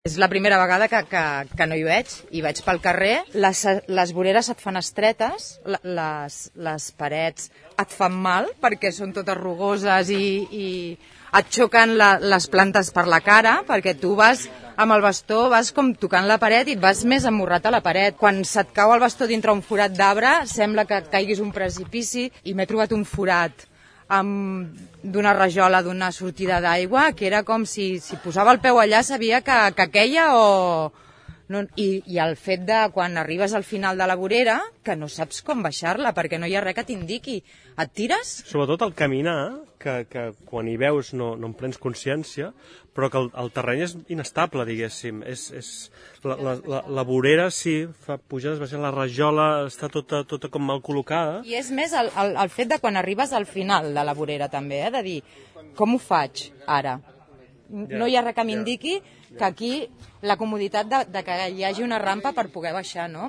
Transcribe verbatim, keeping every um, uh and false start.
És la primera vegada que, que, que no hi veig, i vaig pel carrer. Les, les voreres et fan estretes, les, les parets et fan mal perquè són totes rugoses i, i et xoquen la, les plantes per la cara, perquè tu vas amb el bastó, vas com tocant la paret i et vas més amorrat a la paret. Quan se't cau el bastó dintre un forat d'arbre, sembla que et caiguis un precipici, i m'he trobat un forat d'una rajola d'una sortida d'aigua, que era com si, si posava el peu allà sabia que, que queia o... No, i, I el fet de quan arribes al final de la vorera, que no saps com baixar-la, perquè no hi ha res que t'indiqui. Et tires? Sobretot el caminar, que, que quan hi veus no, no en prens consciència, però que el, el terreny és inestable, diguéssim. És, és, la, la, la, la vorera, sí, fa pujades, baixes, la rajola està tota, tota com mal col·locada. I és més el, el, el fet de quan arribes al final de la vorera, també, eh? De dir, com ho faig ara? No hi ha res que m'indiqui que aquí la comoditat de, de que hi hagi una rampa per poder baixar, no?